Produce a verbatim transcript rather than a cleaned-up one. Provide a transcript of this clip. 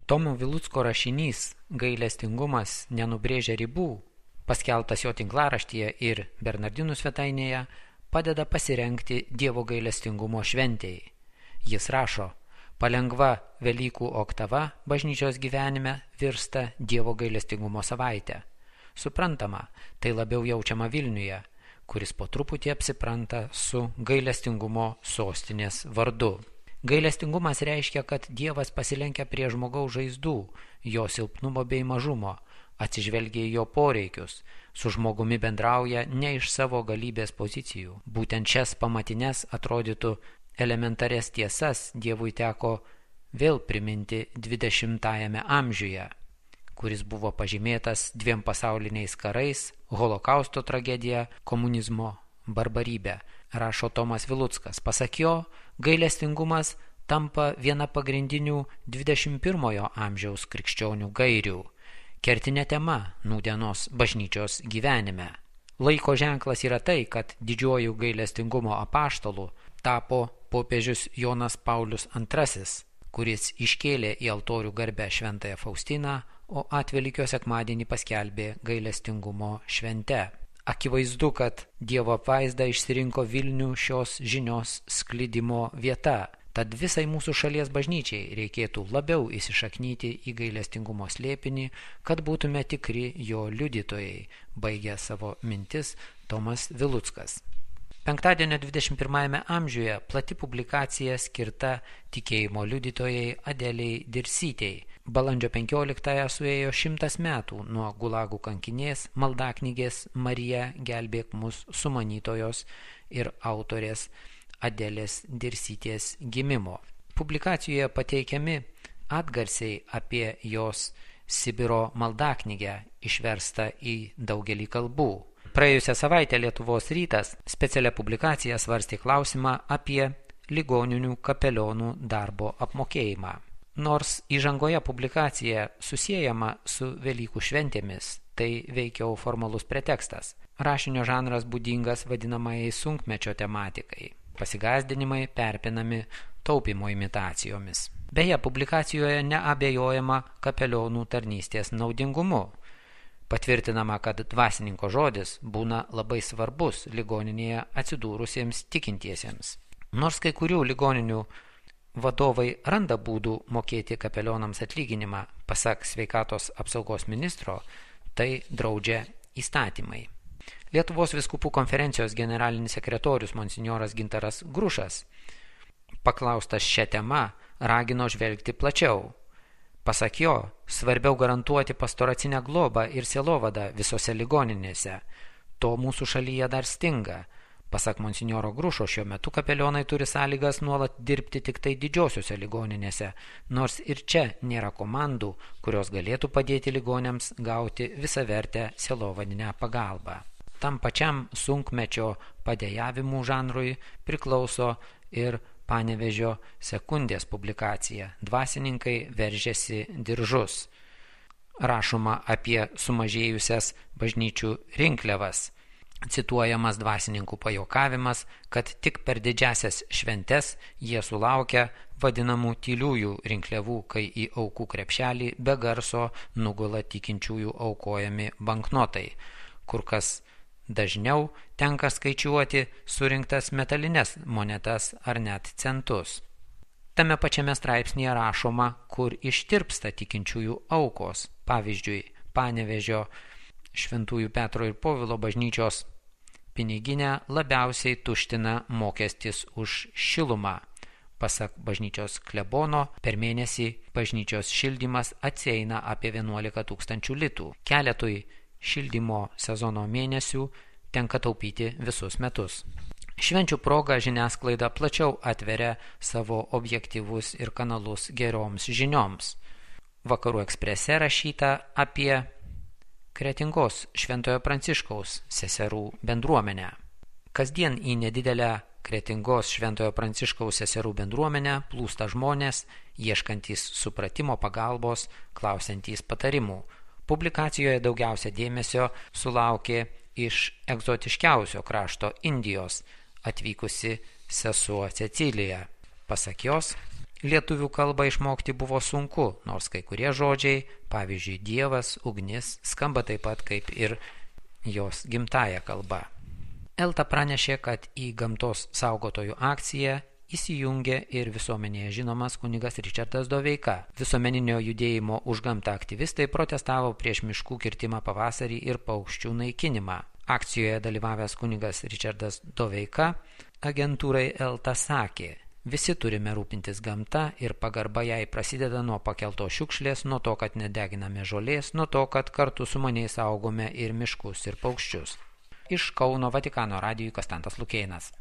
Tomo Vilucko rašinys Gailestingumas nenubrėžia ribų, paskelbtas jo tinklaraštyje ir Bernardinų svetainėje, padeda pasirengti Dievo gailestingumo šventei. Jis rašo: palengva Velykų oktava bažnyčios gyvenime virsta Dievo gailestingumo savaitę. Suprantama, tai labiau jaučiama Vilniuje, kuris po truputį apsipranta su gailestingumo sostinės vardu. Gailestingumas reiškia, kad Dievas pasilenkia prie žmogaus žaizdų, jo silpnumo bei mažumo, atsižvelgia į jo poreikius, su žmogumi bendrauja ne iš savo galybės pozicijų. Būtent šias pamatines atrodytų elementarias tiesas Dievui teko vėl priminti dvidešimtajame amžiuje, kuris buvo pažymėtas dviem pasauliniais karais, holokausto tragedija, komunizmo barbarybė. Rašo Tomas Viluckas. Pasak jo, gailestingumas tampa viena pagrindinių dvidešimt pirmojo amžiaus krikščionių gairių, kertinė tema nūdienos bažnyčios gyvenime. Laiko ženklas yra tai, kad didžiuoju gailestingumo apaštalu tapo popiežius Jonas Paulius antrasis, kuris iškėlė į altorių garbę šventąją Faustiną, o atvelykio sekmadienį paskelbė gailestingumo švente. Akivaizdu, kad Dievo apvaizda išsirinko Vilnių šios žinios sklidimo vieta, tad visai mūsų šalies bažnyčiai reikėtų labiau įsišaknyti į gailestingumo slėpinį, kad būtume tikri jo liudytojai, baigė savo mintis Tomas Viluckas. Penktadienio dvidešimt pirmajame amžiuje plati publikacija skirta tikėjimo liudytojai Adelei Dirsytei. Balandžio penkioliktąją suėjo šimtas metų nuo Gulagų kankinės maldaknygės Marija gelbėk mus sumanytojos ir autorės Adelės Dirsytės gimimo. Publikacijoje pateikiami atgarsiai apie jos Sibiro maldaknygę, išverstą į daugelį kalbų. Praėjusią savaitę Lietuvos rytas specialią publikaciją svarstė klausimą apie ligoninių kapelionų darbo apmokėjimą. Nors įžangoje publikacija susiejama su Velykų šventėmis, tai veikiau formalus pretekstas. Rašinio žanras būdingas vadinamajai sunkmečio tematikai. Pasigąsdinimai perpinami taupimo imitacijomis. Beje, publikacijoje neabejojama kapelionų tarnystės naudingumu. Patvirtinama, kad dvasininko žodis būna labai svarbus ligoninėje atsidūrusiems tikintiesiems. Nors kai kurių ligoninių vadovai randa būdų mokėti kapelionams atlyginimą, pasak sveikatos apsaugos ministro, tai draudžia įstatymai. Lietuvos vyskupų konferencijos generalinis sekretorius monsinjoras Gintaras Grušas, paklaustas šią temą, ragino žvelgti plačiau. Pasak jo, svarbiau garantuoti pastoracinę globą ir sielovadą visose ligoninėse. To mūsų šalyje dar stinga. Pasak monsinjoro Grušo, šiuo metu kapelionai turi sąlygas nuolat dirbti tik tai didžiosiuose ligoninėse, nors ir čia nėra komandų, kurios galėtų padėti ligoniams gauti visavertę sielovadinę pagalbą. Tam pačiam sunkmečio padėjavimų žanrui priklauso ir Panevėžio sekundės publikacija Dvasininkai veržiasi diržus. Rašoma apie sumažėjusias bažnyčių rinkliavas. Cituojamas dvasininkų pajuokavimas, kad tik per didžiasias šventes jie sulaukia vadinamų tyliųjų rinkliavų, kai į aukų krepšelį be garso nugula tikinčiųjų aukojami banknotai, kur kas dažniau tenka skaičiuoti surinktas metalines monetas ar net centus. Tame pačiame straipsnėje rašoma, kur ištirpsta tikinčiųjų aukos. Pavyzdžiui, Panevėžio Šventųjų Petro ir Povilo bažnyčios piniginę labiausiai tuština mokestis už šilumą. Pasak bažnyčios klebono, per mėnesį bažnyčios šildymas atsieina apie vienuolika tūkstančių litų. Keletui šildymo sezono mėnesių tenka taupyti visus metus. Švenčių proga žiniasklaida plačiau atveria savo objektyvus ir kanalus geroms žinioms. Vakarų Eksprese rašyta apie Kretingos Šventojo Pranciškaus seserų bendruomenę. Kasdien į nedidelę Kretingos Šventojo Pranciškaus seserų bendruomenę plūsta žmonės, ieškantys supratimo, pagalbos, klausiantys patarimų. Publikacijoje daugiausia dėmesio sulaukė iš egzotiškiausio krašto Indijos atvykusi sesuo Cecilija. Pasak jos, Lietuvių kalbą išmokti buvo sunku, nors kai kurie žodžiai, pavyzdžiui, dievas, ugnis, skamba taip pat kaip ir jos gimtąja kalba. Elta pranešė, kad į gamtos saugotojų akciją įsijungė ir visuomenėje žinomas kunigas Ričardas Doveika. Visuomeninio judėjimo už gamtą aktyvistai protestavo prieš miškų kirtimą pavasarį ir paukščių naikinimą. Akcijoje dalyvavęs kunigas Ričardas Doveika agentūrai Elta sakė: visi turime rūpintis gamta ir pagarba jai prasideda nuo pakeltos šiukšlės, nuo to, kad nedeginame žolės, nuo to, kad kartu su maniais saugome ir miškus ir paukščius. Iš Kauno Vatikano radijui Konstantas Lukėnas.